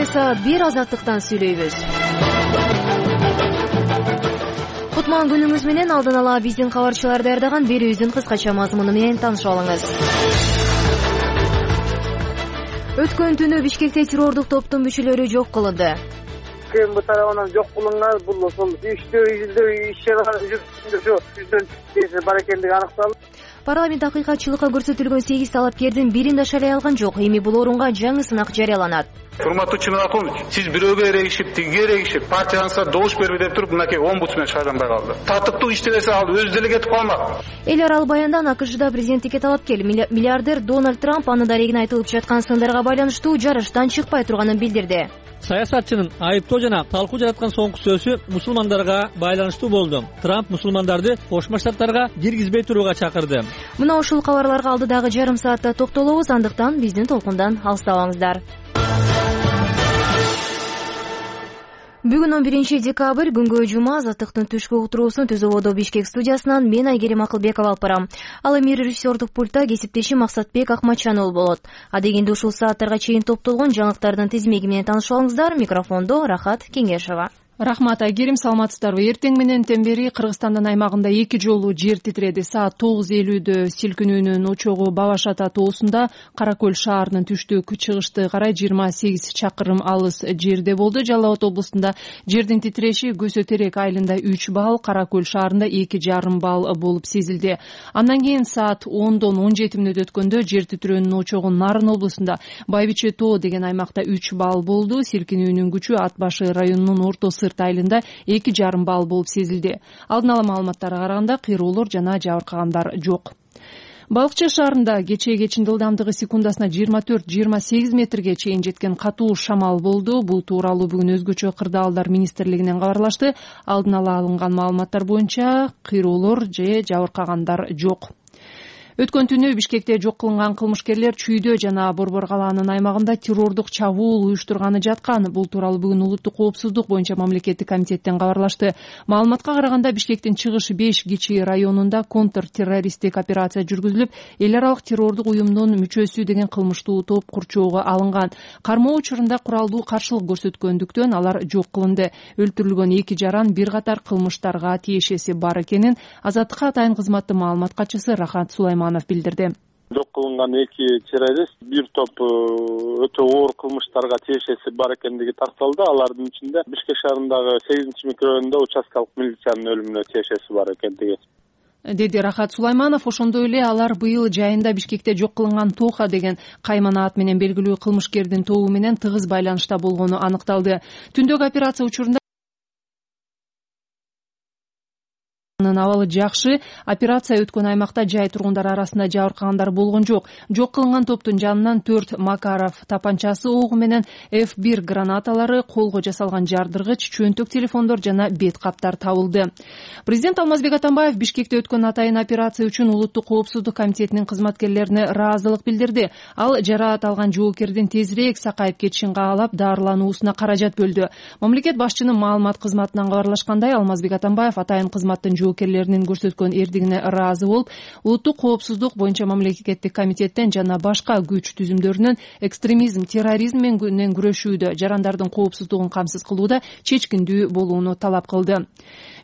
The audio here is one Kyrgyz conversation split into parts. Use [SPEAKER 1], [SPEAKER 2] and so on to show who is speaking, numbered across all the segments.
[SPEAKER 1] Кечээ саат 1 Азаттыктан сүйлөйбүз. Кутман күнүңүз менен алдын ала биздин кабарчылар даярдаган берүүбүздүн кыскача мазмуну менен таанышып алыңыз. Өткөн түнү Бишкекте террордук топтун мүчөлөрү жок кылынды.
[SPEAKER 2] КМБ тарабынан жок кылынган бул ошол иштөө жүздөн бар экендиги аныкталды.
[SPEAKER 1] Парламент акыйкатчылыкка көрсөтүлгөн 8 талапкердин бирин да шайлай алган жок. Эми бул орунга жаңы сынак жарыяланат.
[SPEAKER 3] Урматтуу Чыныракович, сиз бирөөгө эрегишип, тигиге эрегишип, партияңызга добуш берби деп туруп, мынакей омбудсмен шайланбай калды. Татыктуу иштебесе ал өзү деле кетип калмак.
[SPEAKER 1] Эл аралык баяндан АКШда президенттикке талапкер миллиардер Дональд Трамп анын дарегине айтылып жаткан сындарга байланыштуу жарыштан чыкпай турганын билдирди.
[SPEAKER 4] Саясатчынын айыптоо жана талкуу жараткан соңку сөзү мусулмандарга байланыштуу болду. Трамп мусулмандарды Кошмо Штаттарга киргизбей турууга чакырды.
[SPEAKER 1] Мына ушул кабарларга алдыдагы жарым саатта токтолобуз, андыктан биздин толкундан алыстабаңыздар. Бүгүн 11 декабрь күнгө жума. Азаттыктын түшкү утуруусун Түз ободо Бишкек студиясынан мен Айгерим Акылбекова алып барам. Ал эми режиссердук пультта кесиптешим Максатбек Акматжанов болот. Адегенде ушул сааттарга чейин топтолгон жаңылыктардын тизмеги менен таанышып алыңыздар. Микрофондо Рахат Кеңешова.
[SPEAKER 5] Рахмат, Айгерим, саламатсыздарбы? Эртең менен бери Кыргызстандын аймагында 2 жолу жер титиреди. Саат 9:50 силкинүүнүн очогу Бабаш Ата тоосунда Кара Көл шаарынын түштүк-чыгышты карай 28 чакырым алыс жерде болду. Жалал Абад облустунда жердин титиреши Көсө Терек айылында 3 балл, Кара Көл шаарында 2,5 балл болуп сезилди. Андан кийин саат 10дон 17 мүнөт өткөндө жер титирөөнүн очогу Нарын облусунда Байбиче тоо деген аймакта 3 балл болду. Силкинүүнүн күчү Ат башы районунун Орто Сырт айылында 2,5 балл болуп сезилди. Алдын ала маалыматтарга караганда кыйроолор жана жабыркагандар жок. Балыкчы шаарында кечээкечин ылдамдыгы секундасына 24-28 метрге чейин жеткен катуу шамал болду. Бул тууралуу бүгүн өзгөчө кырдаалдар министрлигинен кабарлашты. Алдын ала алынган маалыматтар боюнча кыйроолор же жабыркагандар жок. Өткөн түнү Бишкекте жок кылынган кылмышкерлер Чүйдө жана Борбор калаанын аймагында террордук чабуул уюштурганы жаткан. Бул тууралуу бүгүн улуттук коопсуздук боюнча мамлекеттик комитеттен кабарлашты. Маалыматка караганда Бишкектин чыгыш 5 кичи районунда контртеррористтик операция жүргүзүлүп, эл аралык террордук уюмдун мүчөсү деген кылмыштуу топ курчоого алынган. Кармоо учурунда куралдуу каршылык көрсөткөндүктөн алар жок кылынды. Өлтүрүлгөн 2 жаран бир катар кылмыштарга тиешеси бар экенин Азаттыкка атайын кызматтын маалымат катчысы Рахат Сулайманов билдирди.
[SPEAKER 2] Жок кылынган 2 террорист бир топ өтө оор кылмыштарга тиешеси бар экендиги такталды. Алардын ичинде Бишкек шаарындагы 8-микрорайонунда участкалык милициянын өлүмүнө тиешеси бар экендиги
[SPEAKER 5] деди Рахат Сулайманов. Ошондой эле алар быйыл жайында Бишкекте жок кылынган Тоха деген каймана ат менен белгилүү кылмышкердин тобу менен тыгыз байланышта болгону аныкталды. Түндөгү операция учурунда абалы жакшы. Операция өткөн аймакта жай тургундар арасында жабыркагандар болгон жок. Жок кылынган топтун жанынан 4 Макаров тапанчасы огу менен F1 гранаталары, колго жасалган жардыргыч, чөнтөк телефондор жана бет каптар табылды. Президент Алмазбек Атамбаев Бишкекте өткөн атайын операция үчүн улуттук коопсуздук комитетинин кызматкерлерине ыраазылык билдирди. Ал жараат алган жоокердин тезирээк сакайып кетишин каалап, дарылануусуна каражат бөлдү. Мамлекет башчынын маалымат кызматынан кабарлашкандай, Алмазбек Атамбаев атайын кызматтын жоокерлеринин көрсөткөн эрдигине ыраазы болуп, улуттук коопсуздук боюнча мамлекеттик комитеттен жана башка күч түзүмдөрүнөн экстремизм, терроризм менен күрөшүүдө, жарандардын коопсуздугун камсыз кылууда чечкиндүү болууну талап кылды.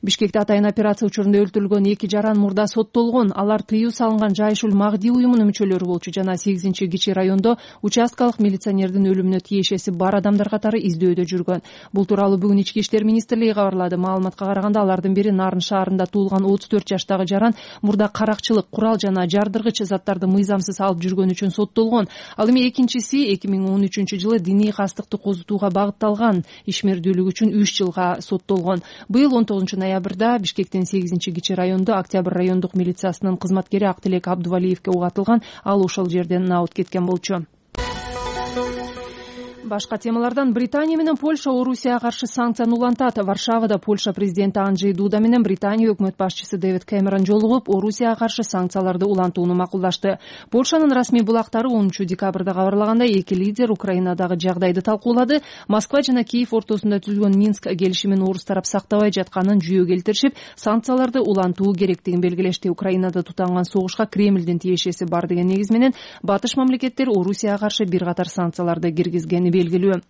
[SPEAKER 5] Бишкекте атайын операция учурунда өлтүрүлгөн 2 жаран мурда соттолгон. Алар тыюу салынган Жайшул Магди уюмунун мүчөлөрү болчу жана 8-кичи райондо участкалык милиционердин өлүмүнө тиешеси бар адамдар катары издөөдө жүргөн. Бул тууралуу бүгүн Ички иштер министрлиги кабарлады. Маалыматка караганда алардын бири Нарын шаарында туулган 34 жаштагы жаран мурда каракчылык, курал жана жардыргыч заттарды мыйзамсыз алып жүргөн үчүн соттолгон. Ал эми экинчиси 2013-жылы диний кастыкты козутууга багытталган ишмердүүлүк үчүн 3 жылга соттолгон. Быйыл 19 ноябрда Бишкектин 8-кичи райондо Октябрь райондук милициясынын кызматкери Актилек Абдувалиевке ук атылган. Ал ошол жерден наут кеткен болчу. Башка темалардан Британия менен Польша Орусияга каршы санкцияны улантат. Варшавада Польша президенти Анджей Дуда менен Британия өкмөт башчысы Дэвид Кэмерон жолугуп, Орусияга каршы санкцияларды улантууну макулдашты. Польшанын расмий булактары 10 декабрда кабарлагандай, эки лидер Украинадагы жагдайды талкуулады. Москва жана Киев ортосунда түзүлгөн Минск келишимин орус тарап сактабай жатканын жүйө келтиришип, санкцияларды улантуу керектигин белгилешти. Украинада тутанган согушка Кремлдин тиешеси бар деген негиз менен батыш мамлекеттер Орусияга каршы бир катар санкцияларды киргизгени белгилүү.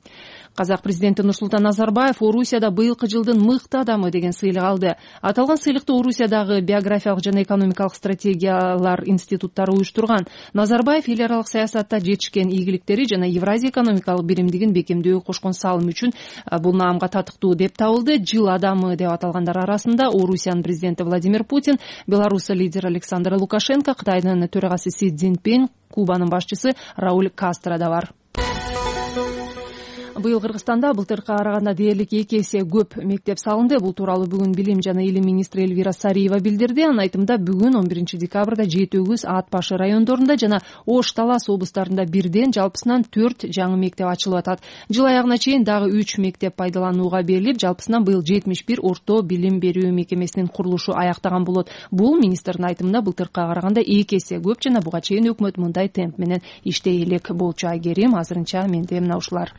[SPEAKER 5] Казак президенти Нурсултан Назарбаев Орусияда быйылкы жылдын мыкты адамы деген сыйлык алды. Аталган сыйлыкты Орусиядагы биографиялык жана экономикалык стратегиялар институттары уюштурган. Назарбаев эл аралык саясатта жетишкен ийгиликтери жана Евразия экономикалык биримдигин бекемдөөгө кошкон салымы үчүн бул наамга татыктуу деп табылды. Жыл адамы деп аталгандар арасында Орусиянын президенти Владимир Путин, Беларусь лидери Александр Лукашенко, Кытайдын төрагасы Си Цзиньпин, Кубанын башчысы Рауль Кастро да бар. Быйыл Кыргызстанда былтыркыга караганда дээрлик 2 эсе көп мектеп салынды. Бул тууралуу бүгүн Билим жана Илим министри Элвира Сариева билдирди. Анын айтымында бүгүн 11 декабрда Жети Өгүз, Ат Башы райондорунда жана Ош, Талас облустарында бирден жалпысынан 4 жаңы мектеп ачылып атат. Жыл аягына чейин дагы 3 мектеп пайдаланууга берилип, жалпысынан быйыл 71 орто билим берүү мекемесинин курулушу аяктаган болот. Бул министрдин айтымында былтыркыга караганда 2 эсе көп жана буга чейин өкмөт мындай темп менен иштей элек болчу. Айгерим, азырынча менде мына ушулар.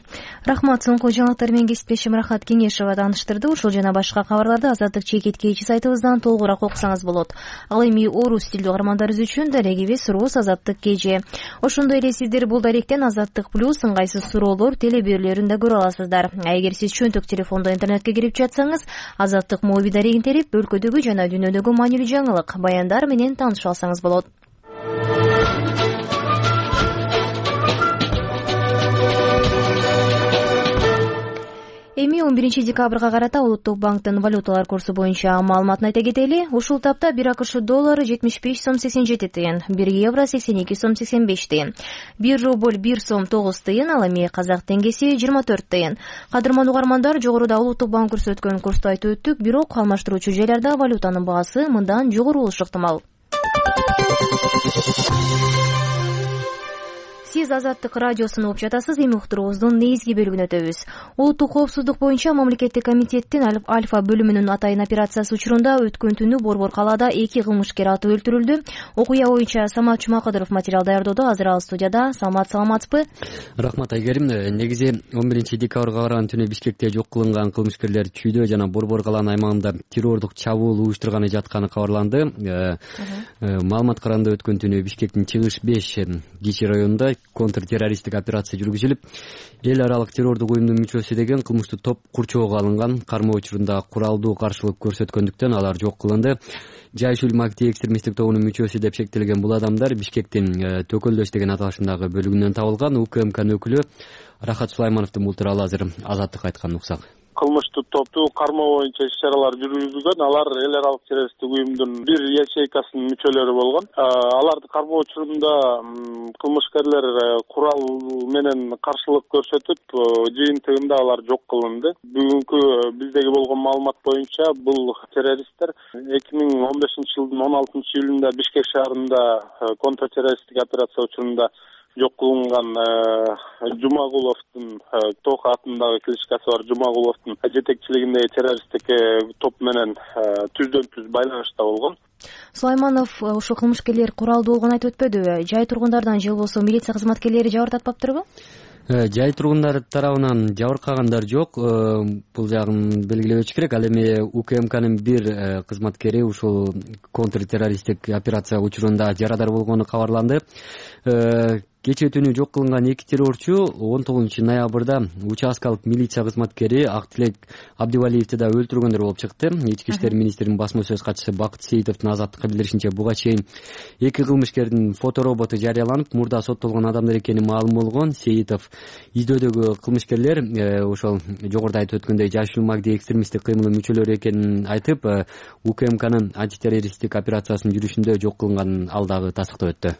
[SPEAKER 1] Рахмат. Соңку жаңылыктар менен кесиптешим Рахат Кеңешова тааныштырды. Ушул жана башка кабарларды Азаттык чекиткечи сайтыбыздан толугураак окусаңыз болот. Ал эми орус тилдүү каармандарыбыз үчүн дарегибиз Рус Азаттык кежи. Ошондой эле сиздер бул даректен Азаттык плюс ыңгайсыз суроолор телеберүүлөрүн да көрө аласыздар. Эгер сиз чөнтөк телефондо интернетке кирип жатсаңыз, Азаттык моби дарегин терип, өлкөдөгү жана дүйнөдөгү маанилүү жаңылык, баяндар менен тааныша алсаңыз болот. Эми 11 декабрга карата Улуттук банктын валюталар курсу боюнча маалыматын айта кетели. Ушул тапта 1 АКШ доллары 75 сом 87 тыйын, 1 евро 82 сом 85 тыйын, 1 рубль 1 сом 9 тыйын, ал эми казак теңгеси 24 тыйын. Кадырман угармандар, жогоруда Улуттук банк көрсөткөн курсту айтып өттүк, бирок алмаштыруучу жайларда валютанын баасы мындан жогору болушу ыктымал. Сиз Азаттык радиосуну угуп жатасыз. Эми уктуруубуздун негизги бөлүгүнө өтөбүз. Улуттук коопсуздук боюнча мамлекеттик комитеттин Альфа бөлүмүнүн атайын операциясы учурунда өткөн түнү Борбор калаада 2 кылмышкер атып өлтүрүлдү. Окуя боюнча Самат Чумакадыров материал даярдоодо. Азыр ал студияда. Самат, саламатсызбы?
[SPEAKER 6] Рахмат, Айгерим. Негизи 11 декабрга караган түнү Бишкекте жок кылынган кылмышкерлер Чүйдө жана Борбор калаанын аймагында террордук чабуул уюштурганы жатканы кабарланды. Маалыматка караганда өткөн түнү Бишкектин Чыгыш 5 кичи районунда контртеррористтик операция жүргүзүлүп, эл аралык террордук уюмдун мүчөсү деген кылмыштуу топ курчоого алынган. Кармоо учурунда куралдуу каршылык көрсөткөндүктөн алар жок кылынды. Жайшул Макти экстремисттик тобунун мүчөсү деп шектелген бул адамдар Бишкектин Төкөлдөш деген аталышындагы бөлүгүнөн табылган. УКМКнын өкүлү Рахат Сулаймановдун бул тууралуу азыр Азаттыкка айтканын уксак.
[SPEAKER 2] Кылмыштуу топту кармоо боюнча иш-чаралар жүргүзүлгөн. Алар эл аралык террористтик уюмдун бир ячейкасынын мүчөлөрү болгон. Аларды кармоо учурунда кылмышкерлер курал менен каршылык көрсөтүп, жыйынтыгында алар жок кылынды. Бүгүнкү биздеги болгон маалымат боюнча бул террористтер 2015 жылдын 16 июлунда Бишкек шаарында контртеррористтик операция учурунда жок кылынган Жумагуловдун Тока атындагы кличкасы бар Жумагуловдун жетекчилигиндеги террористтик топ менен түздөн-түз байланышта болгон.
[SPEAKER 1] Сулайманов ошо кылмышкерлер куралдуу болгонун айтып өтпөдүбү? Жай тургундардан же болбосо милиция кызматкерлери жабыртатпаптырбы?
[SPEAKER 6] Жай тургундар тарабынан жабыркагандар жок. Бул жагын белгилебөчү керек. Ал эми УКМКнын бир кызматкери ушул контртеррористтик операция учурунда жарадар болгону кабарланды. Кечээ түнү жок кылынган 2 террорчу 19 ноябрда участкалык милиция кызматкери Актилек Абдивалиевди да өлтүргөндөр болуп чыкты. Ички иштер министринин басма сөз катчысы Бакыт Сейитовдун Азаттыкка билдиришинче, буга чейин 2 кылмышкердин фотороботу жарыяланып, мурда соттолгон адамдар экени маалым болгон. Сейитов издөөдөгү кылмышкерлер ошол жогоруда айтып өткөндөй Жайшул Магди экстремисттик кыймылдын мүчөлөрү экенин айтып, УКМКнын антитеррористтик операциясынын жүрүшүндө жок кылынган ал дагы тастыктап өттү.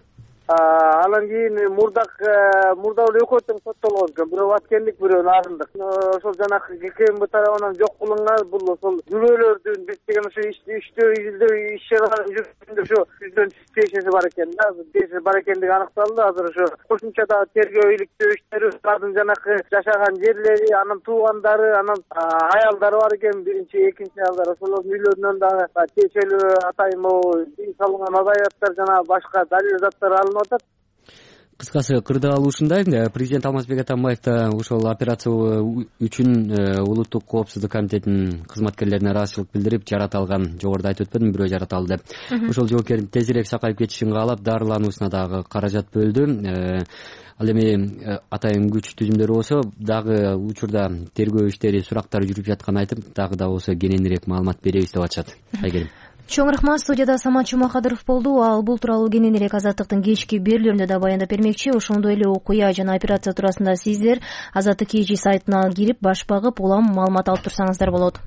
[SPEAKER 7] Анан кийин мурда эле экөө тең соттолгон экен. Бирөө аткендик, бирөө нарындык. Ошол жанагы ГКМБ тарабынан жок кылынган бул ошол күбөлөрдүн биз деген ошо издөө иш-чараларын жүргүзгөндө ошо түздөн тиешеси бар экен да. Тиешеси бар экендиги аныкталды. Азыр ошо кошумча да тергөө иликтөө иштери, алардын жанагы жашаган жерлери, анын туугандары, анын аялдары бар экен. Биринчи, экинчи аялдар ошолордун үйлөрүнөн дагы тиешелүү атайын салынган адаяттар жана башка далил заттар алынып атат.
[SPEAKER 6] кыскасы кырдаал ушундай. Президент Алмазбек Атамбаев да ошол операция үчүн улуттук коопсуздук комитетинин кызматкерлерине ыраазычылык билдирип, жарата алган, жогоруда айтып өтпөдүм, бирөө жарата алды деп. Ошол жоокердин тезирээк сакайып кетишин каалап, дарылануусуна дагы каражат бөлдү. Ал эми атайын күч түзүмдөрү болсо дагы учурда тергөө иштери, сурактар жүрүп жатканын айтып, дагы да болсо кененирээк маалымат беребиз деп атышат. Айгерим.
[SPEAKER 1] Чоң рахмат. Студияда Самат Чумакадыров болду. Ал бул тууралуу кененирээк Азаттыктын кечки берүүлөрүндө да баяндап бермекчи. Ошондой эле окуя жана операция туурасында сиздер Азаттык KG сайтына кирип баш багып, улам маалымат алып турсаңыздар болот.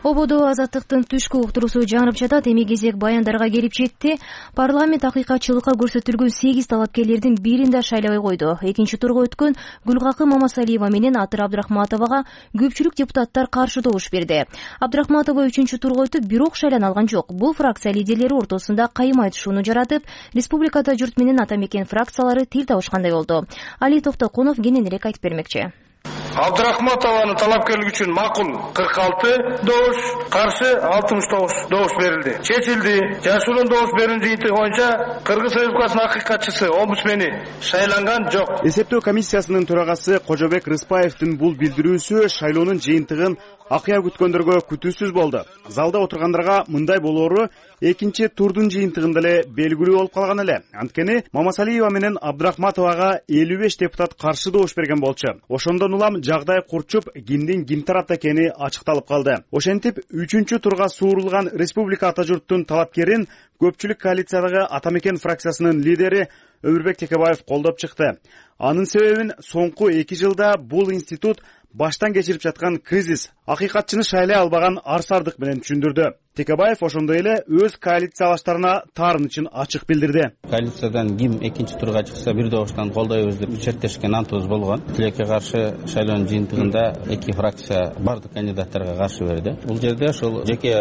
[SPEAKER 1] Ободо Азаттыктын түшкү уктуруусу жаңырып жатат. Эми кезек баяндарга келип жетти. Парламент акыйкатчылыкка көрсөтүлгөн 8 талапкерлердин бирин да шайлабай койду. Экинчи турга өткөн Гүлкакы Мамасалиева менен Атыр Абдрахматовага көпчүлүк депутаттар каршы добуш берди. Абдрахматова 3-чү турга өтүп, бирок шайлана алган жок. Бул фракция лидерлери ортосунда кайым айтышууну жаратып, республикада журт менен ата мекен фракциялары тил табышкандай болду. Али Токтокунов кененирээк айтып бермекчи.
[SPEAKER 8] Абдрахматованын талапкерлиги үчүн макул 46 добуш, каршы 69 добуш берилди. Чечилди. Жашыруун добуш берүүнүн жыйынтыгы боюнча Кыргыз Республикасынын акыйкатчысы, омбудсмени шайланган жок.
[SPEAKER 9] Эсептөө комиссиясынын төрагасы Кожобек Рыспаевдин бул билдирүүсү шайлоонун жыйынтыгын акыя күткөндөргө күтүүсүз болду. Залда отургандарга мындай болоору экинчи турдун жыйынтыгында эле белгилүү болуп калган эле. Анткени Мамасалиева менен Абдрахматовага 55 депутат каршы добуш берген болчу. Ошондон улам жагдай курчуп, кимдин ким тарапта экени ачыкталып калды. Ошентип 3-чү турга суурулган республика ата журттун талапкерин көпчүлүк коалициядагы ата мекен фракциясынын лидери Өмүрбек Текебаев колдоп чыкты. Анын себебин соңку 2 жылда бул институт баштан кечирип жаткан кризис, акыйкатчыны шайлай албаган арсардык менен түшүндүрдү. Текебаев ошондой эле өз коалициялаштарына таарынычын ачык билдирди.
[SPEAKER 10] Коалициядан ким экинчи турга чыкса бир добуштан колдойбуз деп чектешкен антыбыз болгон. Тилекке каршы шайлоонун жыйынтыгында 2 фракция бардык кандидаттарга каршы берди. Бул жерде ошол жеке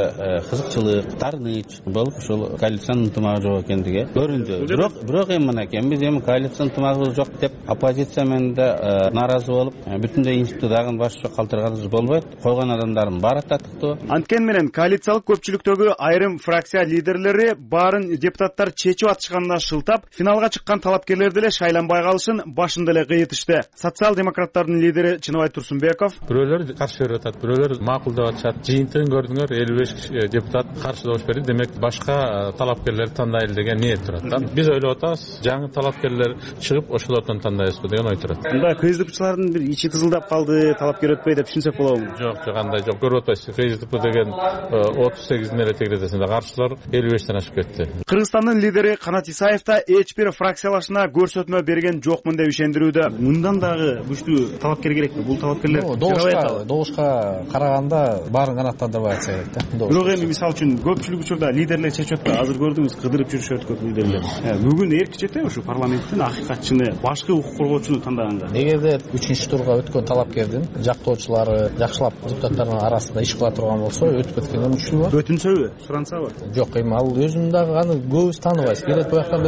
[SPEAKER 10] кызыкчылык, таарыныч болуп, ошол коалициянын ынтымагы жок экендиги көрүндү. Бирок эми мынакей биз эми коалициянын ынтымагы жок деп оппозиция менен да нааразы болуп, бүтүндөй институт дагы башка калтырганыбыз болбойт. Койгон адамдардын баары татыктуу.
[SPEAKER 9] Анткени менен коалициялык көпчүлүктөгү айрым фракция лидерлери баарын депутаттар чечип атышканына шылтап, финалга чыккан талапкерлерди эле шайланбай калышын башында эле кыйытышты. Социал-демократтардын лидери Чыныбай Турсунбеков:
[SPEAKER 11] бирөөлөр каршы берип атат, бирөөлөр макул деп атышат. Жыйынтыгын көрдүңөр, 55 депутат каршы добуш берди. Демек башка талапкерлерди тандайлы деген ниет турат да. Биз ойлоп атабыз, жаңы талапкерлер чыгып ошолордон тандайбызбы деген ой турат.
[SPEAKER 9] Мында КСДПчылардын бир ичи тызылдап калды, талапкер өтпөй деп түшүнсөк болобу?
[SPEAKER 11] Жок, андай жок. Көрүп атпайсыз, КСДП деген 38 эле тегеретесинде каршылар 55тен ашып кетти.
[SPEAKER 9] Кыргызстандын лидери Канат Исаев да эч бир фракциялашына көрсөтмө берген жокмун деп ишендирүүдө. Мындан дагы күчтүү талапкер керекпи? Бул талапкерлер
[SPEAKER 12] добушка караганда баарын канааттандырбай атса керек да.
[SPEAKER 9] Бирок эми мисалы үчүн көпчүлүк учурда лидерлер чечип атпайбы? Азыр көрдүңүз, кыдырып жүрүшөт көп лидерлер. Бүгүн эрк четеби ушу парламенттин акыйкатчыны, башкы укук коргоочуну тандаганга?
[SPEAKER 12] Эгерде 3-чү турга өткөн талапкердин жактоочулары жакшылап депутаттардын арасында иш кыла турган болсо, өтүп кеткенин түшүнүп.
[SPEAKER 9] Өтүнсөбү, сурансабы?
[SPEAKER 12] Жок, эми ал өзүн дагы аны көбүз тааныбайбыз. Келет бояктан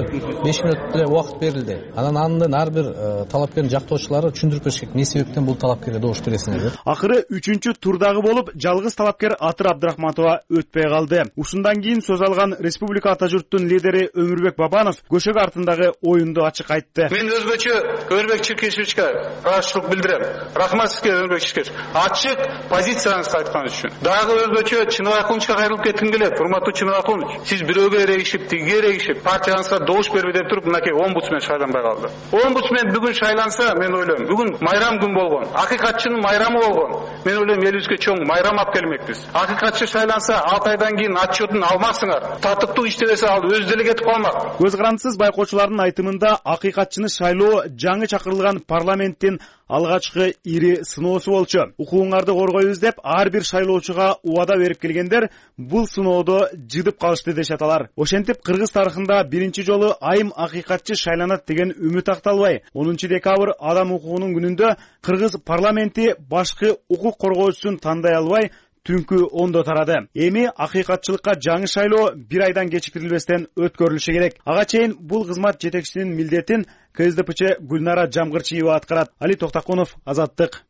[SPEAKER 12] 5 мүнөт эле убакыт берилди. Анан андын ар бир талапкердин жактоочулары түшүндүрүп бериш керек, эмне себептен бул талапкерге добуш бересиңер деп.
[SPEAKER 9] Акыры 3-чү турдагы болуп, жалгыз талапкер Атыр Абдрахматова өтпөй калды. Ушундан кийин сөз алган республика ата журттун лидери Өмүрбек Бабанов көшөк артындагы оюнду ачык айтты.
[SPEAKER 3] Мен өзгөчө Өмүрбек Чиркешевичке ыраазычылык билдирем. Рахмат сизге, Өмүрбек Чиркешевич. Ачык позицияңызды айткан үчүн. Дагы өзгөчө Чыныбай Акунчка кайрылып кетким келет. Урматтуу Чыныбай Акунович, сиз бирөөгө эрегишип, тигиге эрегишип, партияңызга добуш бербей деп туруп, мынакей омбудсмен шайланбай калды. Омбудсмен бүгүн шайланса, мен ойлойм, бүгүн майрам күн болгон. Акыйкатчынын майрамы болгон. Мен ойлойм, элибизге чоң майрам алып келмекпиз. Акыйкатчы шайланса, 6 айдан кийин отчетун алмаксыңар. Татыктуу иштебесе ал өз деле кетип калмак.
[SPEAKER 9] Көз карандысыз байкоочулардын айтымында акыйкатчыны шайлоо жаңы чакырылган парламенттин алгачкы ири сыноосу болчу. Укугуңарды коргойбуз деп ар бир шайлоочуга убада берип келгендер бул сыноодо жыдып калышты дешет алар. Ошентип кыргыз тарыхында биринчи жолу айым акыйкатчы шайланат деген үмүт акталбай, 10 декабрь адам укугунун күнүндө кыргыз парламенти башкы укук коргоочусун тандай албай түнкү ондо тарады. Эми акыйкатчылыкка жаңы шайлоо 1 айдан кечикирилбестен өткөрүлүшү керек. Ага чейин бул кызмат жетекчисинин милдетин КСДПчы Гүлнара Жамгырчиева аткарат. Али Токтокунов, Азаттык.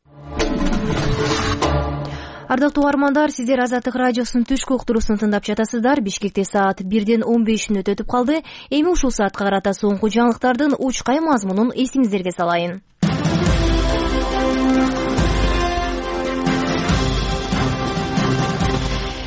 [SPEAKER 1] Ардактуу угармандар, сиздер Азаттык радиосунун түшкү уктуруусун тыңдап жатасыздар. Бишкекте саат 1:15 өтүп калды. Эми ушул саатка карата соңку жаңылыктардын учкай мазмунун эсиңиздерге салайын.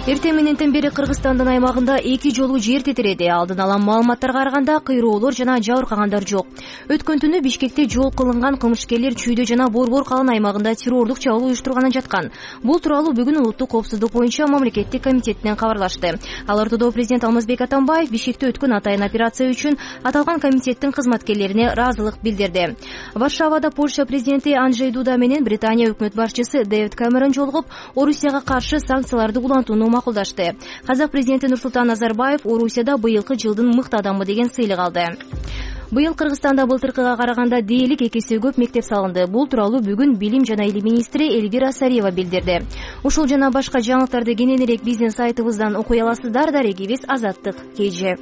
[SPEAKER 1] Эртең мененден бери Кыргызстандын аймагында 2 жолу жер титиреди. Алдын ала маалыматтарга караганда кыйроолор жана жабыркагандар жок. Өткөн түнү Бишкекте жол кылынган кылмышкерлер Чүйдө жана Борбор калын аймагында террордук чабуул уюштурганын жаткан. Бул тууралуу бүгүн Улуттук коопсуздук боюнча мамлекеттик комитетинен кабарлашты. Ал ортодо президент Алмазбек Атамбаев Бишкекте өткөн атайын операция үчүн аталган комитеттин кызматкерлерине ыраазылык билдирди. Варшавада Польша президенти Анджей Дуда менен Британия өкмөт башчысы Дэвид Кэмерон жолугуп, Орусияга каршы санкцияларды улантууну макулдашты. Казак президенти Нурсултан Назарбаев Орусияда быйылкы жылдын мыкты адамы деген сыйлык алды. Быйыл Кыргызстанда былтыркыга караганда дээрлик 2 эсе көп мектеп салынды. Бул тууралуу бүгүн Билим жана Илим министри Элвира Сариева билдирди. Ушул жана башка жаңылыктарды кененирээк биздин сайтыбыздан окуй аласыздар. Дарегибиз Азаттык KG.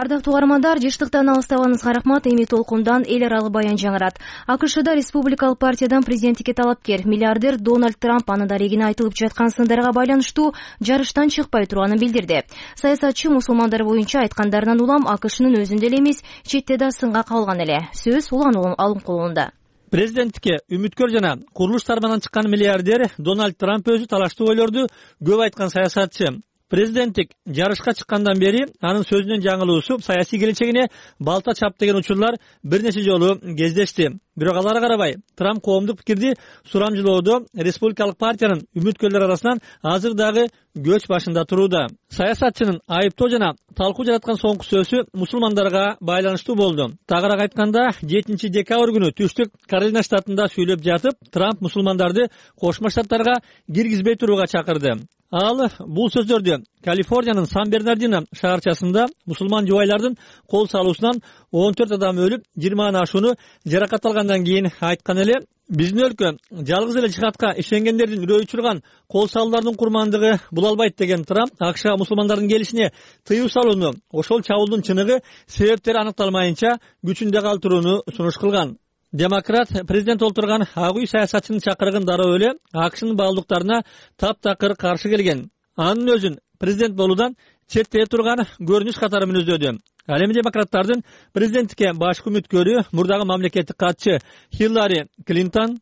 [SPEAKER 1] Ардактуу угармандар, жыштыктан алыстабаңызга рахмат. Эми толкундан эл аралык баян жаңырат. АКШда республикалык партиядан президенттикке талапкер миллиардер Дональд Трамп анын дарегине айтылып жаткан сындарга байланыштуу жарыштан чыкпай турганын билдирди. Саясатчы мусулмандар боюнча айткандарынан улам АКШнын өзүндө эле эмес, четте да сынга кабылган эле. Сөз улан алымкулунда.
[SPEAKER 4] Президенттикке үмүткөр жана курулуш тармагынан чыккан миллиардер Дональд Трамп өзү талаштуу ойлорду көп айткан саясатчы. Президенттик жарышка чыккандан бери анын сөзүнүн жаңылуусу саясий келечегине балта чап деген учурлар бир нече жолу кездешти. Бирок аларга карабай Трамп коомдук пикирди сурамжылоодо республикалык партиянын үмүткөрлөр арасынан азыр дагы көч башында турууда. Саясатчынын айыптоо жана талкуу жараткан соңку сөзү мусулмандарга байланыштуу болду. Тагыраак айтканда 7 декабрь күнү Түштүк Каролина штатында сүйлөп жатып, Трамп мусулмандарды Кошмо Штаттарга киргизбей турууга чакырды. Ал бул сөздөрдү Калифорниянын Сан-Бернардино шаарчасында мусулман жубайлардын кол салуусунан 14 адам өлүп, 20 ашууну жаракат алгандан кийин айткан эле. Биздин өлкө жалгыз эле жихадка ишенгендердин үрөй учурган кол салуулардын курмандыгы бул албайт деген Трамп АКШга мусулмандардын келишине тыюу салууну, ошол чабуулдун чыныгы себептери аныкталмайынча күчүндө калтырууну сунуш кылган. Демократ президент олтурган ак үй саясатчынын чакырыгын дароо эле АКШнын баалуулуктарына таптакыр каршы келген. Анын өзүн президент болуудан четте турган көрүнүш катары мүнөздөдү. Ал эми демократтардын президенттикке башкы үмүткөрү мурдагы мамлекеттик катчы Хиллари Клинтон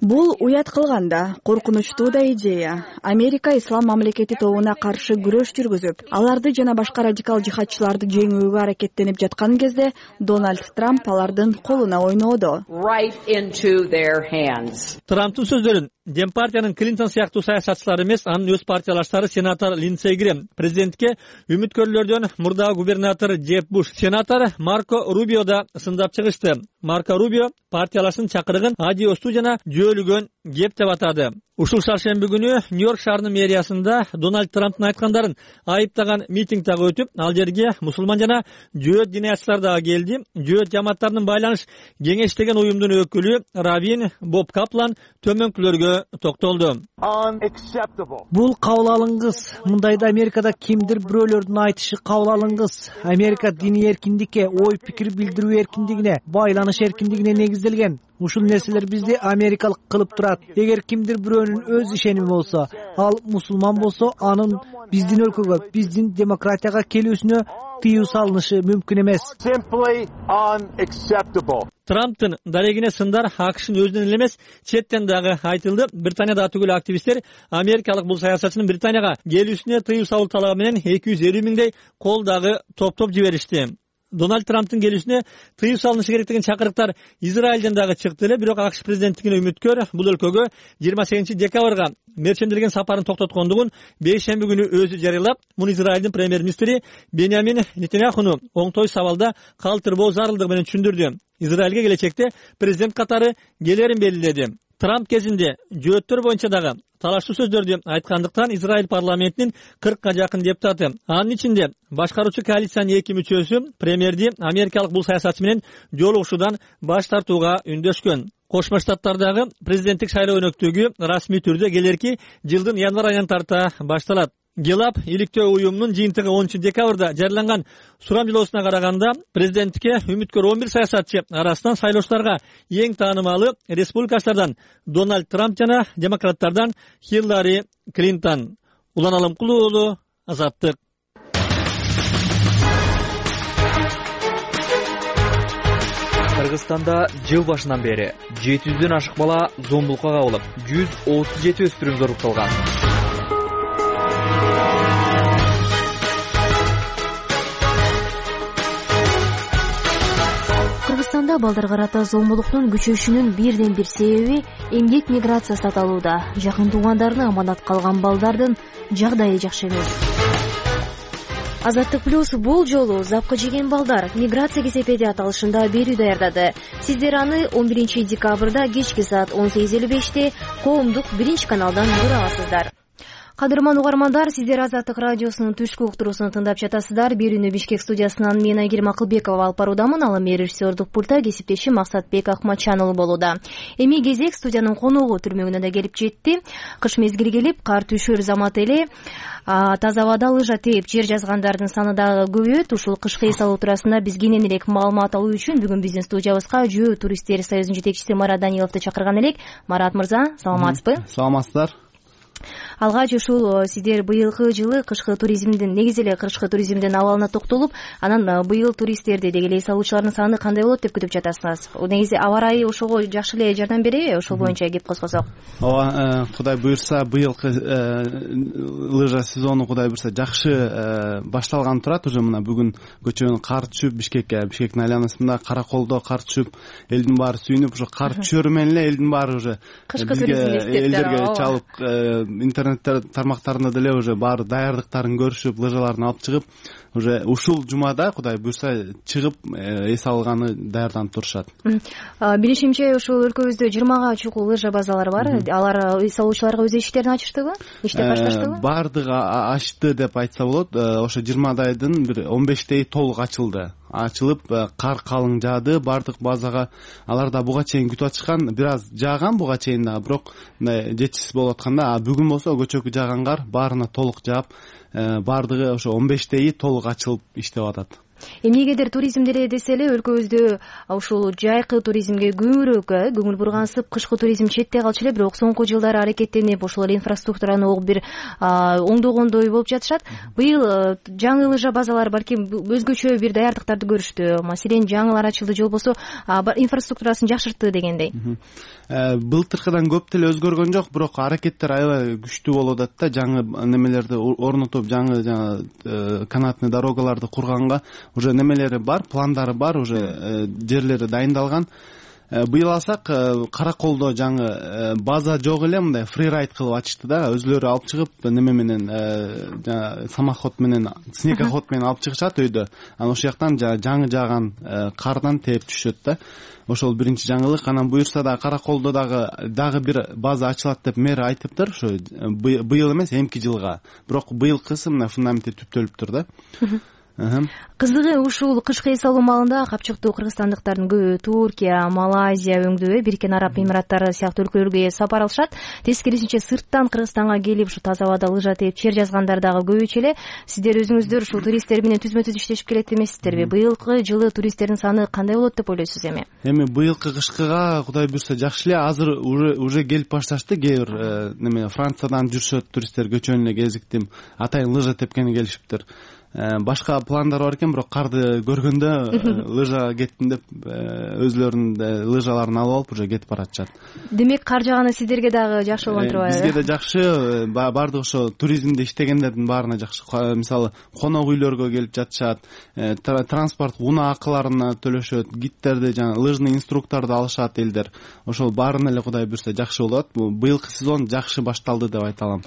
[SPEAKER 13] Бул уят кылганда коркунучтуу да идея. Америка ислам мамлекети тобуна каршы күрөш жүргүзүп, аларды жана башка радикал жихадчыларды жеңүүгө аракеттенип жаткан кезде Дональд Трамп алардын колуна ойноодо.
[SPEAKER 4] Трамптын сөздөрүн Демпартиянын Клинтон сыяктуу саясатчылар эмес, анын өз партиялаштары сенатор Линдсей Грэм, президентке үмүткөрлөрдөн мурдагы губернатор Джеб Буш, сенатор Марко Рубио да сындап чыгышты. Марко Рубио партиялаштын чакырыгын адиостуу жана жөөлүгөн кеп деп атады. Ушул шаршемби күнү Нью-Йорк шаарынын мэриясында Дональд Трамптын айткандарын айыптаган митинг дагы өтүп, ал жерге мусулман жана жөөт диниячылар дагы келди. Жөөт жамааттарынын байланыш кеңеш деген уюмдун өкүлү Равин Боб Каплан төмөнкүлөргө токтолду.
[SPEAKER 14] Бул кабыл алынгыс. Мындайда Америкада кимдир бирөөлөрдүн айтышы кабыл алынгыс. Америка диний эркиндикке, ой пикир билдирүү эркиндигине, байланыш эркиндигине негизделген. Ушул нерселер бизди америкалык кылып турат. Эгер кимдир бирөөнүн өз ишеними болсо, ал мусулман болсо, анын биздин өлкөгө, биздин демократияга келүүсүнө тыюу салынышы мүмкүн эмес.
[SPEAKER 4] Трамптын дарегине сындар АКШнын өзүнөн эле эмес, четтен дагы айтылды. Британияда түгүл активисттер америкалык бул саясатчынын Британияга келүүсүнө тыюу салуу талабы менен 250 миңдей кол дагы топтоп жиберишти. Дональд Трамптын келүүсүнө тыюу салынышы керек деген чакырыктар Израилден дагы чыкты эле, бирок АКШ президенттигине үмүткөр бул өлкөгө 28 декабрга мерчемделген сапарын токтоткондугун бейшемби күнү өзү жарыялап, муну Израилдин премьер-министри Беньямин Нетаньяхуну оңтой сабалда калтырбоо зарылдыгы менен түшүндүрдү. Израилге келечекте президент катары келерин белгиледи. Трамп кезинде жөөттөр боюнча дагы талаштуу сөздөрдү айткандыктан Израиль парламентинин 40га жакын депутаты, анын ичинде башкаруучу коалициянын 2 мүчөсү премьерди америкалык бул саясатчы менен жолугушуудан баш тартууга үндөшкөн. Кошмо Штаттардагы президенттик шайлоо өнөктүгү расмий түрдө келерки жылдын январь айынан тарта башталат. Гелап иликтөө уюмунун жыйынтыгы 10 декабрда жарыяланган сурамжылоосуна караганда президенттикке үмүткөр 11 саясатчы арасынан шайлоочуларга эң таанымалы республикачылардан Дональд Трамп жана демократтардан Хиллари Клинтон. Улан Алымкулуу уулу, Азаттык.
[SPEAKER 15] Кыргызстанда жыл башынан бери 700дөн ашык бала зомбулукка кабылып, 137 өспүрүм зорукталган.
[SPEAKER 1] Кыргызстанда балдарга карата зомбулуктун күчөшүнүн бирден бир себеби эмгек миграциясы аталууда. Жакын туугандарына аманат калган балдардын жагдайы жакшы эмес. Азаттык плюс бул жолу запка жеген балдар миграция кесепети аталышында берүү даярдады. Сиздер аны 11 декабрда кечки саат 18:55 коомдук 1-каналдан көрө аласыздар. Кадырман угармандар, сиздер Азаттык радиосунун түшкү уктуруусун тыңдап жатасыздар. Берүүнү Бишкек студиясынан мен Айгерим Акылбекова алып баруудамын. Ал эми режиссердук пульта кесиптешим Максатбек Акматчан болууда. Эми кезек студиянын коногу түрмөгүнө да келип жетти. Кыш мезгили келип, кар түшөр замат эле таза абада лыжа тээп жер жазгандардын саны дагы көбөйөт. Ушул кышкы эс алуу туурасында биз кенен элек маалымат алуу үчүн бүгүн биздин студиябызга Жөө туристтер союзунун жетекчиси Марат Даниловду чакырган элек. Марат мырза, саламатсызбы?
[SPEAKER 16] Саламатсыздар.
[SPEAKER 1] Алгач ушул сиздер быйылкы жылы кышкы туризмдин, негизи эле кышкы туризмдин абалына токтолуп, анан быйыл туристтерди деги эле эс алуучулардын саны кандай болот деп күтүп жатасыңыз? Негизи аба ырайы ошого жакшы эле жардам береби? Ошол боюнча кеп козгосок.
[SPEAKER 16] Ооба, Кудай буйрса, быйылкы лыжа сезону Кудай буйрса жакшы башталган турат. Уже мына бүгүн көчөнүн кар түшүп, Бишкектин айланасында Караколдо кар түшүп, элдин баары сүйүнүп, ошо кар түшөрү менен эле элдин баары уже элдерге чалып, интернет тармактарында деле уже баары даярдыктарын көрүшүп, лыжаларын алып чыгып, уже ушул жумада Кудай буйрса чыгып эс алганы даярданып турушат.
[SPEAKER 1] Билишимче, ушул өлкөбүздө 20га чукул лыжа базалары бар. Алар эс алуучуларга өз иштерин ачыштыбы? Иштеп башташтыбы?
[SPEAKER 16] Бардыгы ачты деп айтса болот. Ошо 20дайдын бир 15 толук ачылды. Ачылып, кар калың жаады бардык базага. Алар да буга чейин күтүп атышкан, бир аз жааган буга чейин да, бирок жетишсиз болуп атканда, бүгүн болсо көчөкү жааган кар баарына толук жаап, бардыгы ошо 15 толук ачылып иштеп атат.
[SPEAKER 1] Эмнегедир туризм деле десе эле өлкөбүздө ушул жайкы туризмге көбүрөөк көңүл бургансып, кышкы туризм четте калчу эле, бирок соңку жылдары аракеттенип ошол инфраструктураны огуп бир оңдогондой болуп жатышат. Быйыл жаңы лыжа базалары балким өзгөчө бир даярдыктарды көрүштү. Маселен, жаңылар ачылды, же болбосо инфраструктурасын жакшыртты дегендей.
[SPEAKER 16] Былтыркыдан көп деле өзгөргөн жок, бирок аракеттер аябай күчтүү болуп атат да, жаңы немелерди орнотуп, жаңы канатный дорогаларды курганга уже немелери бар, пландары бар, уже жерлери дайындалган. Быйыл алсак, Караколдо жаңы база жок эле, мындай фрирайд кылып ачышты да, өзлөрү алып чыгып, неме менен самоход менен, снегоход менен алып чыгышат өйдө. Анан ошол жактан жаңы жааган кардан тээп түшөт да. Ошол биринчи жаңылык. Анан буюрса да Караколдо дагы бир база ачылат деп мэр айтыптыр, ошо быйыл эмес, эмки жылга. Бирок быйылкысы мына фундаменти түптөлүптүр да.
[SPEAKER 1] Кызыгы, ушул кышкы эс алуу маалында капчыктуу кыргызстандыктардын көбү Туркия, Малайзия өңдөө, Бириккен Араб Эмираттары сыяктуу өлкөлөргө сапар алышат. Тескерисинче сырттан Кыргызстанга келип ушу таза абада лыжа тээп жер жазгандар дагы көбөйчү эле. Сиздер өзүңүздөр ушул туристтер менен түзмө-түз иштешип келет эмессиздерби? Быйылкы жылы туристтердин саны кандай болот деп ойлойсуз эми?
[SPEAKER 16] Эми быйылкы кышкыга Кудай буйрса жакшы эле. Азыр уже келип башташты. Кээ бир неме Франциядан жүрүшөт туристтер, көчөнүн эле кезиктим атайын лыжа тепкени келишиптир. Башка пландар бар экен, бирок карды көргөндө лыжа кеттим деп өзлөрүнүн лыжаларын алып алып уже кетип баратышат.
[SPEAKER 1] Демек, кар жааганы сиздерге дагы жакшы болгон турбайбы?
[SPEAKER 16] Бизге да жакшы, баардык ошо туризмде иштегендердин баарына жакшы. Мисалы, конок үйлөргө келип жатышат, транспорт унаакыларына төлөшөт, гидтерди, жана лыжный инструкторду алышат элдер. Ошол баарына эле Кудай буйрса жакшы болот. Быйылкы сезон жакшы башталды деп айта алам.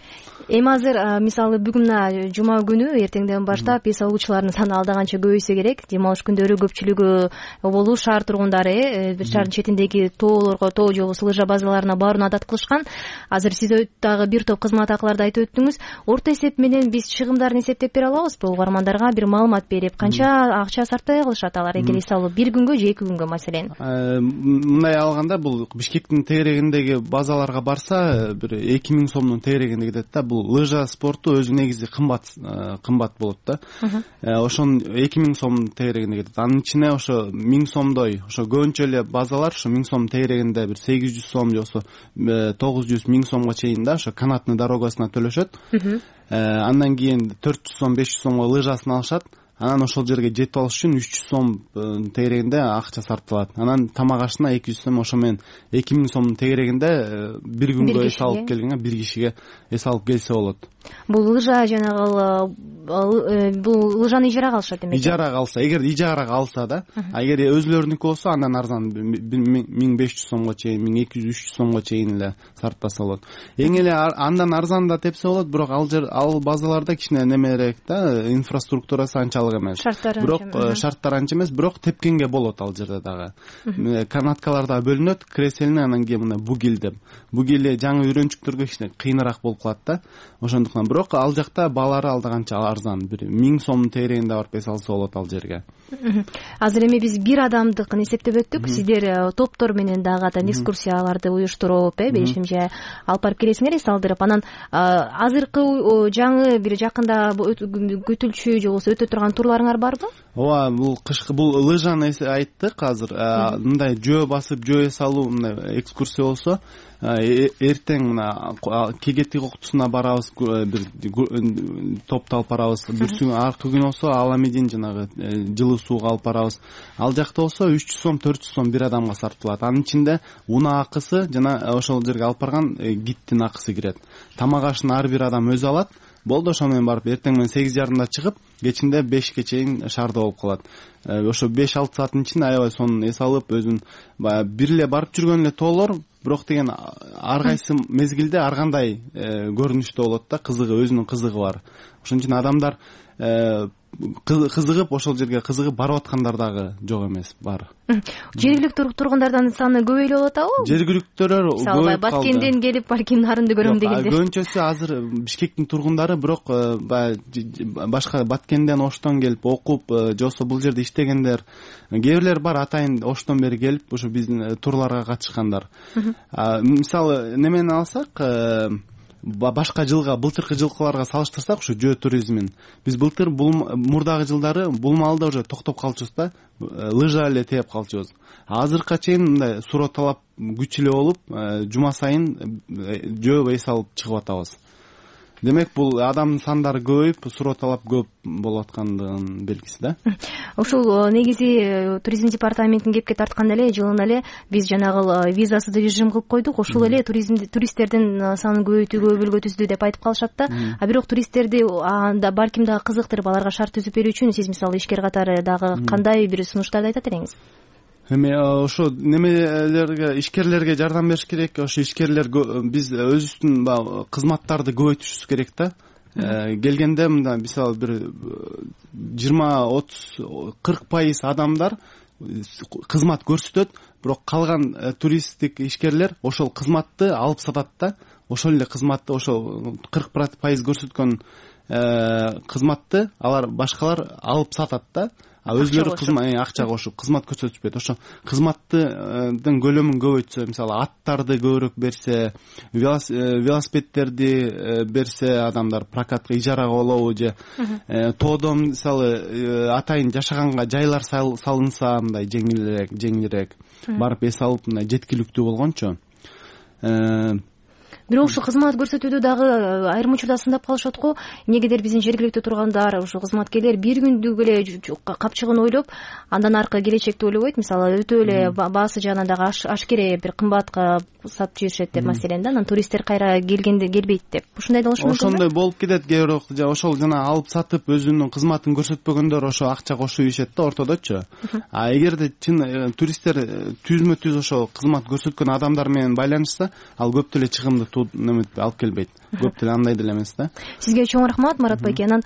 [SPEAKER 1] Эми азыр мисалы бүгүн жума күнү эртеңден баштап баштап эс алуучулардын саны алда канча көбөйсө керек. Дем алыш күндөрү көпчүлүгү болуу шаар тургундары бир шаардын четиндеги тоолорго, тоо же болбосо лыжа базаларына барууну адат кылышкан. Азыр сиз дагы бир топ кызмат акыларды айтып өттүңүз. Орто эсеп менен биз чыгымдарын эсептеп бере алабызбы? Угармандарга бир маалымат берип, канча акча сарптай кылышат алар эгер эс алуу бир күнгө же 2 күнгө маселен?
[SPEAKER 16] Мындай алганда бул Бишкектин тегерегиндеги базаларга барса бир 2000 сомдун тегерегинде кетет да. Бул лыжа спорту өзү негизи кымбат болот да. Ошонун 2000 сом тегерегинде кетет. Анын ичине ошо 1000 сомдой ошо көбүнчө эле базалар ошо 1000 сом тегерегинде бир 800 сом же болбосо 900 1000 сомго чейин да ошо канатный дорогасына төлөшөт. Андан кийин 400 сом 500 сомго лыжасын алышат. Анан ошол жерге жетип алыш үчүн 300 сом тегерегинде акча сарпталат. Анан тамак ашына 200 сом, ошо менен 2000 сомдун тегерегинде бир күнгө эс алып келгенге бир кишиге эс алып келсе болот.
[SPEAKER 1] Бул лыжа жанагы бул лыжаны ижарага алышат демек.
[SPEAKER 16] Ижарага алса, эгер ижарага алса да, эгер өзүлөрүнүкү болсо андан арзан 1500 сомго чейин, 1200-300 сомго чейин эле сарптаса болот. Эң эле андан арзан да тепсе болот, бирок ал базаларда кичине немерээк да, инфраструктурасы анчалык эмес. Бирок шарттар анча эмес, бирок тепкенге болот ал жерде дагы. Канаткалар да бөлүнөт, креселине, анан кийин мына бугил деп. Бугили жаңы үйрөнчүктөргө кичине кыйыныраак болуп калат да. Ошондуктан бирок ал жакта баалары алда канча арзан, бир 1000 сомдун тегерегинде барып эс алса болот ал жерге.
[SPEAKER 1] Азыр эми биз бир адамдыкын эсептеп өттүк. Сиздер топтор менен дагы экскурсияларды уюштуруп, белешимче алып барып келесиңер, эс алдырып. Анан азыркы жаңы бир жакында күтүлчү же болбосо өтө турган турларыңар барбы?
[SPEAKER 16] Ооба, бул кышкы бул лыжаны айттык азыр. Мындай жөө басып, жөө эс алуу мындай экскурсия болсо, эртең мына Кегети коктусуна барабыз, бир топту алып барабыз. Бүрсүң аркы күн болсо Аламедин жанагы жылуу сууга алып барабыз. Ал жакта болсо 300 сом, 400 сом бир адамга сарпталат. Анын ичинде унаа акысы жана ошол жерге алып барган гидтин акысы кирет. Тамак ашын ар бир адам өзү алат. Болду, ошо менен барып эртең менен 8:30 чыгып, кечинде 5ке чейин шаарда болуп калат. Ошо 5-6 сааттын ичинде аябай сонун эс алып, өзүн бир эле барып жүргөн эле тоолор, бирок деген ар кайсы мезгилде ар кандай көрүнүштө болот да, кызыгы, өзүнүн кызыгы бар. Ошон үчүн адамдар кызыгып, ошол жерге кызыгып барып аткандар дагы жок эмес, бар.
[SPEAKER 1] Жергиликтүү тургундардын саны көбөйлүп атабы?
[SPEAKER 16] Жергиликтүүлөр көбөйүп калды.
[SPEAKER 1] Баткенден келип, балким нарынды көрөм дегендер.
[SPEAKER 16] Көбүнчөсү азыр Бишкектин тургундары, бирок башка Баткенден, Оштон келип окуп, же болбосо бул жерде иштегендер, кээ бирлер бар атайын Оштон бери келип, ошо биздин турларга катышкандар. Мисалы немени алсак, башка жылга, былтыркы жылкыларга салыштырсак, ушу жөө туризмин биз былтыр мурдагы жылдары бул маалда уже токтоп калчубуз да, лыжа эле тээп калчубуз. Азыркыга чейин мындай суроо талап күч эле болуп, жума сайын жөө эс алып чыгып атабыз. Демек бул адамдын сандары көбөйүп, суроо талап көп болуп аткандыгынын белгиси да.
[SPEAKER 1] Ушул негизи туризм департаментин кепке тартканда эле жылына эле биз жанагы визасыз режим кылып койдук. Ушул эле туристтердин санын көбөйтүүгө өбөлгө түздү деп айтып калышат да. А бирок туристтерди анда балким дагы кызыктырып, аларга шарт түзүп берүү үчүн сиз мисалы ишкер катары дагы кандай бир сунуштарды айтат элеңиз?
[SPEAKER 16] Эми ошо немелерге, ишкерлерге жардам бериш керек. Ошо ишкерлер биз өзүбүздүн кызматтарды көбөйтүшүбүз керек да. Келгенде мындай мисалы бир 20-30-40% адамдар кызмат көрсөтөт, бирок калган туристтик ишкерлер ошол кызматты алып сатат да. Ошол эле кызматты, ошол 40% көрсөткөн кызматты алар башкалар алып сатат да. Өзлөрү акча кошуп кызмат көрсөтүшпөйт. Ошо кызматтын көлөмүн көбөйтсө, мисалы аттарды көбүрөөк берсе, велосипедтерди берсе, адамдар прокатка, ижарага болобу же тоодон мисалы атайын жашаганга жайлар салынса, мындай жеңилирээк барып эс алып, мындай жеткиликтүү болгончо.
[SPEAKER 1] Бирок ушу кызмат көрсөтүүдө дагы айрым учурда сындап калышат го. Эмнегедир биздин жергиликтүү тургандар, ушу кызматкерлер бир күндүк эле капчыгын ойлоп, андан аркы келечекти ойлобойт. Мисалы өтө эле баасы жагынан дагы ашкере бир кымбатка сатып жиберишет деп маселен да. Анан туристтер кайра келгенде келбейт деп. Ушундай да болушу мүмкүн.
[SPEAKER 16] Ошондой болуп кетет кээ бирок, ошол жана алып сатып өзүнүн кызматын көрсөтпөгөндөр ошо акча кошуп ийишет да ортодочу. А эгерде чын туристтер түзмө-түз ошо кызмат көрсөткөн адамдар менен байланышса, ал көп деле чыгымды алып келбейт. көп деле андай деле эмес да.
[SPEAKER 1] Сизге чоң рахмат, Марат байке. Анан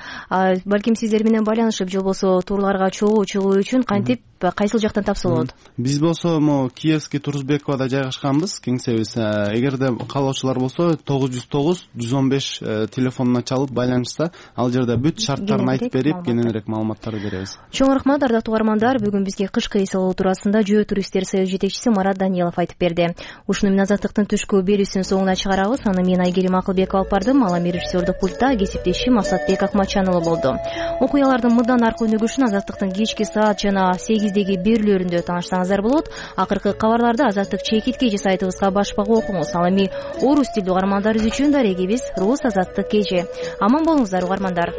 [SPEAKER 1] балким сиздер менен байланышып же болбосо турларга чогуу чыгуу үчүн кантип кайсыл жактан тапса болот?
[SPEAKER 16] Биз болсо могу Киевский Турузбековада жайгашканбыз, кеңсебиз. Эгерде каалоочулар болсо 909-115 телефонуна чалып байланышса, ал жерде бүт шарттарын айтып берип, кененирээк маалыматтарды беребиз.
[SPEAKER 1] Чоң рахмат, ардактуу угармандар. Бүгүн бизге кышкы эс алуу туурасында Жөө туристтер союзу жетекчиси Марат Данилов айтып берди. Ушуну менен Азаттыктын түшкү берүүсүнүн соңуна чыгарабыз. Аны мен Айгерим Акылбекова алып бардым. Ал эми режиссердук пультта кесиптешим Максатбек Акматчан уулу болду. Окуялардын мындан аркы өнүгүшүн Азаттыктын кечки саат жана 8-деги берүүлөрүндө таанышсаңыздар болот. Акыркы кабарларды Азаттык чекитке же сайтыбызга башпак окуңуз. Ал эми орус тилдүү угармандарыбыз үчүн дарегибиз Рус Азаттык кеже. Аман болуңуздар угармандар.